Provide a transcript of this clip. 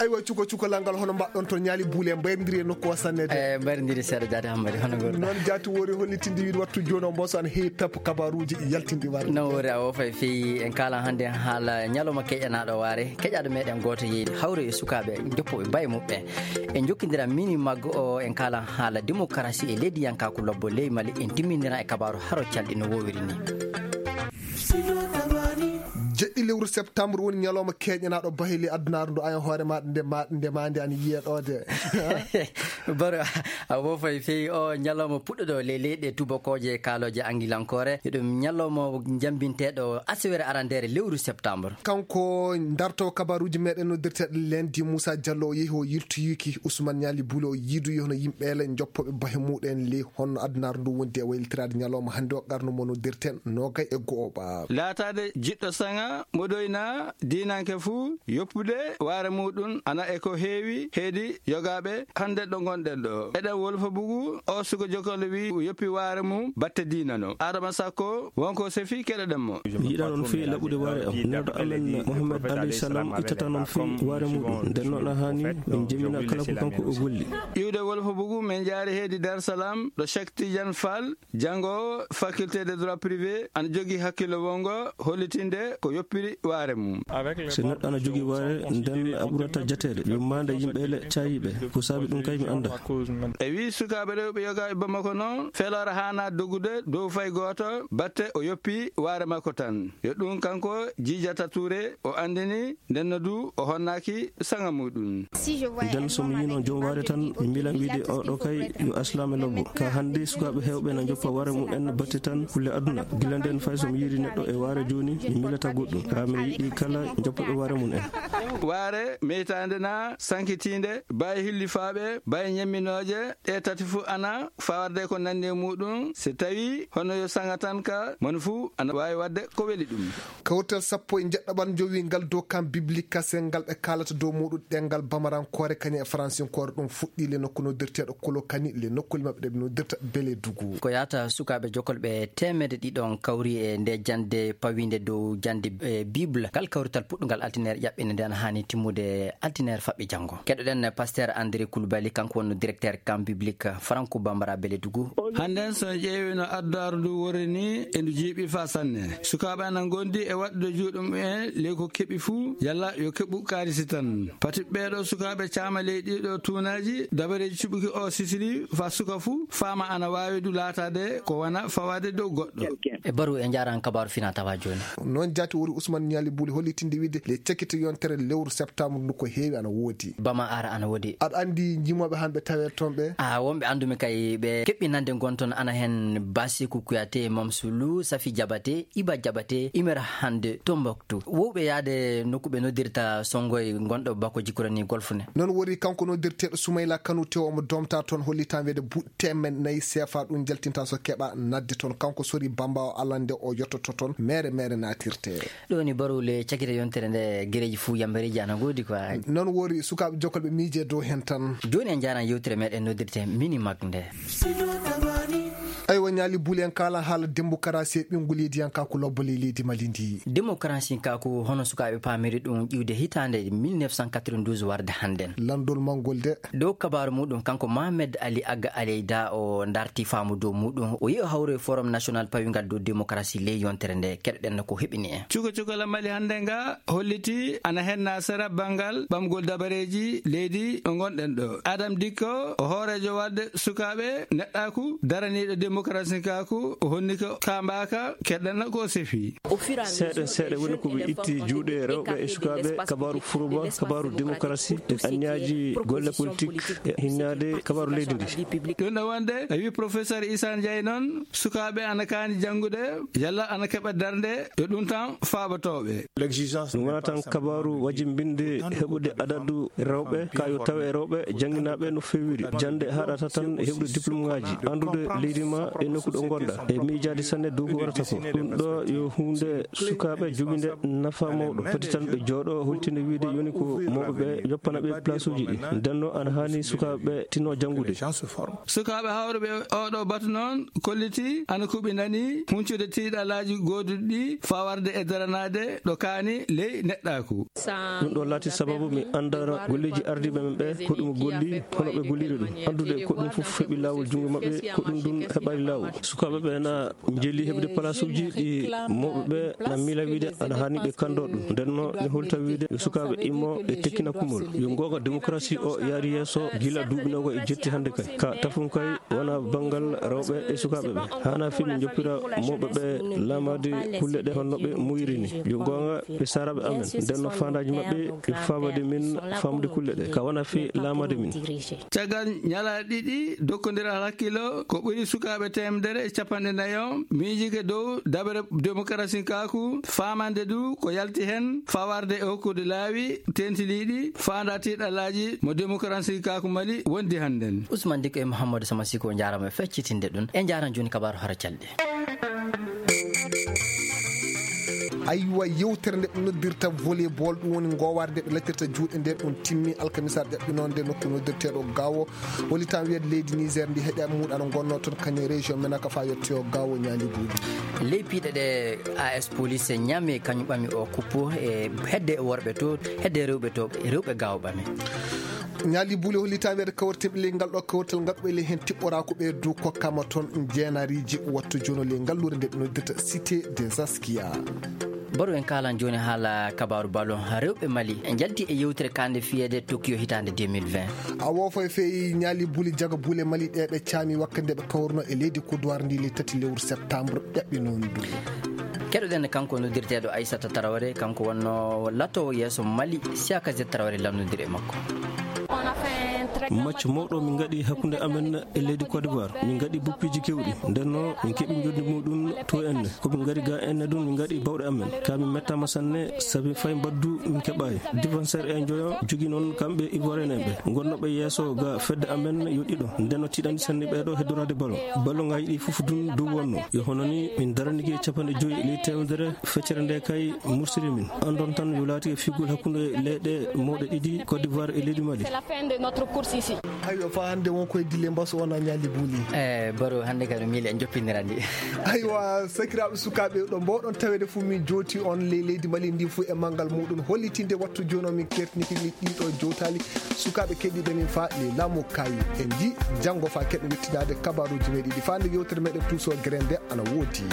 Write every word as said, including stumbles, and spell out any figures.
Eywa, cuko cukalal ngal, hono mbaɗɗon toon, ñaali buule mbayrondiri e nokku o sanne de. Eh, mbayrondiri seeɗa, jaati Hammadi, hono ngorɗaa? Noon jaati woori hollitinde wiide wattu jooni o mboso ana heewi tappo kabaruuji yaltinɗi warde. Noon woori, a woofay feewi. En kaalan hannde haala ñalawma keƴanaaɗo waare, keƴaaɗo meɗen gooto yeeyde hawre e sukaaɓe joppooɓe baye muɓɓen. En njokkondira mini maggo o, en kaalan haala demokarasi e leydiyankaaku lobbo ley Mali. En timmindiran e kabaaru haro calɗi no woowiri ni. Jeɗɗi lewru septembre woni ñalawma keeñanaaɗo bahe ley adunaaru ndu. Ayan hoore ma nde ma, nde ma nde ana yiyee ɗo de. Baro, a woofay feewi. O ñalawma puɗɗoɗo ley leyɗe tubakooje kaalooje angilankoore. Eɗum ñalawma njambinteeɗo asewere arandeere lewru septembre. Kanko dartowo kabaruuji meɗen noddirteeɗo lendi Moussa Diallo, o yehi o yiltoyiki Ousmane Niali Boulot, o yiidoyi hono yimɓe ele joppooɓe bahe muɗen ley honno adunaaru ndu wondi e waylitiraade ñalawma hannde o, qarnu mo noddirten noogay e go'o ɓa. Laataade jiɗɗo saŋa, moɗoyna, diinanke fuu, yoppude waare muuɗum, ana e ko heewi heedi yogaaɓe hannde ɗo ngonɗen ɗo. Eɗen wolfa bugu, o suka jokkole wi yoppi waare mum batte diina no. Adama Sakko, wonko sefi keɗoɗen mo. Mi yiɗaa noon fii laɓude waare am. Nelɗo amen Mohammed alayhi salam ittata noon fii waare muuɗum. Nden noon a haani min jemina kala ko kanko o golli. Iwde wolfa bugu, min jaari heedi Dar Salam, ɗo Cheikh Tidiane Fall, janngoowo faculté de droit privé, ana jogii hakkillo wonngo hollitinde ko yoppiri waare mum. Si neɗɗo ana jogii waare, nden a ɓurata jateede. Yummaande yimɓe ele caayiiɓe. Ko saabi ɗum kay mi annda. E wii sukaaɓe rewɓe yogaaɓe Bamako noon, feloore haanaa dogude dow fay gooto, batte o yoppi waare makko tan. Yo ɗum kanko Jijata Touré o anndini, ndenno du o honnaaki saŋa muuɗum. Nden so mi yiino joom waare tan, mi miilan wiide, "Oo ɗo kay yo aslaame lobbo." Ka hannde, sukaaɓe heewɓe na njoppa waare mum en batte tan kulle aduna. Gila nden fay so mi yiiri neɗɗo e waare jooni, mi miilata goɗɗum. Kaa mi yiɗi kala njoppooɓe waare mum en. Waare meytaande na sankitiinde, baye hillifaaɓe, baye ñemminooje, ɗe tati fuu ana fawarde ko nanndi e muuɗum. Si tawii hono yo saŋa tan ka, moni fuu ana waawi waɗde ko weli ɗum. Kawtal sappo e njeɗɗaɓal njowii ngal dow kan biblique kasel ngal ɓe kaalata dow muuɗum ɗemngal bamarankoore kañum e faransinkoore. Ɗum fuɗɗii le nokku noddirteeɗo Kolokani, le nokkuuli maɓɓe ɗe ɓe noddirta Beledugu. Ko yahata sukaaɓe jokolɓe teemedde ɗiɗon kawri e nde jannde pawiinde dow jannde, e, Bible. Ngal kawrital puɗɗungal altineer ƴaɓɓinde nde ana haani timmude altineer faɓɓi janngo. Keɗoɗen Pasteur André Koulibaly, kanko wonno directeur camp biblique Franco Bambara Beledugu. Hannden, so en ƴeewi no adunaaru ndu worri ni, e ndu jiiɓi faa sanne. Sukaaɓe ana ngondi e waɗude juuɗe mum en ley ko keɓi fuu, yalla yo keɓu kaalisi tan. Pati ɓee ɗoo sukaaɓe caama ley ɗii ɗoo tuunaaji, dabareeji cuɓuki oo sisili faa suka fuu faama ana waawi du laataade ko wona fawaade dow goɗɗo. E baru e njaran kabaaru fina tawa jooni. Noon jaati wori Ousmane Niali Buli hollitinde wiide le cakite yontere lewru septembre ndu ko heewi ana woodi. Bama ara ana woodi. Aɗa anndi njimooɓe han ɓe tawee toon ɓe? A, wonɓe anndumi kay ɓe keɓɓi nande ngon toon ana heen Basiku Kuyate, Mamsulu, Safi Jabate, Iba Jabate, Imer Hande, Tombouctou. Wowɓe yaade nokku ɓe noddirta Sonngoy ngonɗo bako jikkurani golf ne. Noon wori kanko noddirteeɗo Soumaïla Kanouté, omo domta toon, hollitan wiide buuɗi teemeɗɗe nayi seefa ɗum jaltinta so keɓa nadde toon. Kanko sori Bamba o alande o yottoto toon mere mere natirte. Ɗo ni baru le cakite yontere nde gereji fuu yambareji ana ngoodi quoi. Noon wori sukaaɓe jokolɓe miije dow heen tan. Jooni en njaaran yewtere meɗen noddirte Mini Mag nde. Aywa, Niali Buli, en kaalan haala démocratie e ɓinngol leydiyankaaku lobbo ley leydi Mali ndi. Démocratie kaaku hono sukaaɓe paamiri ɗum ƴiwde hitaande mille neuf cent quatre-vingt-douze warde hannden. Lanndol manngol de. Dow kabaaru muɗum, kanko Mohamed Ali Agga Aleyda o darti faamu dow muɗum. O yehi o hawri e Forum National pawingal dow démocratie ley yontere nde. Keɗoɗen no ko heɓini en. Cuka cukalal Mali hannde nga holliti ana henna sera banngal ɓamgol dabareeji leydi ɗo ngonɗen ɗo. Adam Dikko o hooreejo warde sukaaɓe neɗɗaaku daraniiɗo démocratie kaaku, o honni ko kaambaaka keɗɗanno ko o sefi. Seeɗa seeɗa woni ko ɓe itti juuɗe rewɓe e sukaaɓe kabaaru furuba, kabaaru démocratie, e anniyaaji golle politique, e hinnaade kabaaru leydi ndi. Ɗum ɗo wonde, a wi professeur Issa Ndiaye noon, sukaaɓe ana kaani janngude, yalla ana keɓa darnde, yo ɗum tan faabatooɓe. Ɗum wona tan kabaaru wajimbinde heɓude adadu rewɓe, ka yo tawe rewɓe jannginaaɓe no feewiri. Jannde haɗata tan e heɓude diplôme ŋaaji, anndude leydi ma e Ko ɗo ngonɗa e miijaade sanne dow ko warata ko. Ɗum ɗo yo huunde sukaaɓe joginde nafa mawɗo. Foti tan ɓe jooɗo holtinde wiyde yoni ko mawɓe ɓe yoppana ɓe place uji ɗi. Nden noon ana haani sukaaɓe ɓe tinno janngude. Sukaaɓe hawruɓe oɗo batu noon kolliti ana kuɓinani huncude tiiɗalaaji gooduɗi ɗi fawarde e daranaade ɗo kaani ley neɗɗaaku. Ɗum ɗo laati sababu mi anndana golleeji ardiiɓe men ɓe ko ɗum golli, hono ɓe golliri ɗum. Anndude ko ɗum fof heɓi laawol junngo maɓɓe, ko ɗum ɗum heɓaali laawol. Sukaaɓe ɓe na njeeli heɓde palaasuuji ɗi mawɓe ɓe na miila wiyde ana haani ɓe kanndoo ɗum. Nden noon mi holta wiyde yo sukaaɓe immo e tekkina kumol. Yo ngoonga démocratie o yaari yeeso gila duuɓi nogo e jetti hannde kay. Ka tafum kay wona banngal rewɓe e sukaaɓe ɓe. Haana fii min njoppira mawɓe ɓe laamaade kulle ɗe honno ɓe muuyiri ni. Yo ngoonga ɓe saaraaɓe amen. Nden no faandaaji maɓɓe ɓe faabade min faamude kulle ɗe. Ka wona fii laamaade min. Caggal ñalaaɗe ɗiɗi dokkondiral hakkilo ko ɓuri sukaaɓe teemedere e capanɗe nayo miijike dow daɓere démocratie kaaku faamande du ko yalti heen fawarde e hokkude laawi tentiliiɗi faanda tiiɗalaaji mo démocratie kaaku Mali wondi hannden. Ousmane Diko e Mouhamadou Sama Siko njaarama e feccitinde ɗum. En njaaran jooni kabaaru hara calɗi. Aywa, yewtere nde ɓe noddirta volleyball, ɗum woni ngoowaare nde ɓe laccirta juuɗe nde, ɗum timmi alkamisa ɗaɓɓinoonde nokku noddirteeɗo Gaawo. Hollitan wiyat leydi Niger ndi heɗe muɗano gonno toon kañum e région men ka fa yettoyo Gaawo ñaali buuɗi. Ley piiɗe ɗe A S Police ñaami kañum ɓami o kuppu e hedde worɓe to, hedde rewɓe to, rewɓe Gaawo ɓami. Ñaali buuli hollitan wiyat kawritin ɓe ley ngal ɗo kawrital ngaɓɓe ley heen tiɓɓora ko ɓe du kokkama toon jeenariiji wattu jono ley ngal lure nde ɓe noddirta Cité des Askia. Baro en kaalan jooni haala kabaaru ballon. Rewɓe Mali njalti e yewtere kaande fiyeede Tokyo hitaande deux mille vingt. A woofo e feyi ñaali buuli jaga buule Mali ɗe ɓe caami wakkande ɓe kawruno e leydi Côte d'Ivoire ndi ley tati lewru septembre ɗaɓɓinoondu. Keɗoɗen kanko noddirteeɗo Aissata Traoré, kanko wonno latoowo yeeso Mali, Siaka Z Traoré lannodiri e makko. Maccu mawɗo min ngaɗi hakkunde amen e leydi Côte d'Ivoire. Min ngaɗi buppiiji keewɗi. Nden no min keɓi njoɓdi muɗum to enne. Ko min ngari ga enne ɗum min ngaɗi bawɗe amen. Ka min mettaama sanne sabi fay mbaddu min keɓaay. Défenseur e njoyo jogi noon kamɓe Ivoirien en ɓe. Ngonnooɓe yeeso ga fedde amen yo ɗiɗo. Nden no tiiɗani sanne ɓeeɗo heddoraade ballon. Ballon ngaji ɗi fof ɗum dow wonno. Yo hono ni min daranike capanɗe joyi ley teemedere feccere nde kay mursiri min. Anndon tan yo laati e figol hakkunde leyɗe mawɗe ɗiɗi Côte d'Ivoire e leydi Mali. Aywa, fa hannde won koye dille mbaso on a ñaali buuli. Eh, Baro, hannde kadi miili en joppindirani. Aywa, sakiraaɓe sukaaɓe ɗo mbawɗon taweede fof min jooti on ley leydi Mali ndi fof e manngal muɗum hollitinde wattu jooni o min kertiniki min ɗiɗo jowtaali sukaaɓe keɗiiɓe min fa ley laamu kayi. En nji janngo fa keɗen wettinaade kabaaruuji meɗen ɗi fa nde yewtere meɗen tuuso gere nde ana woodi.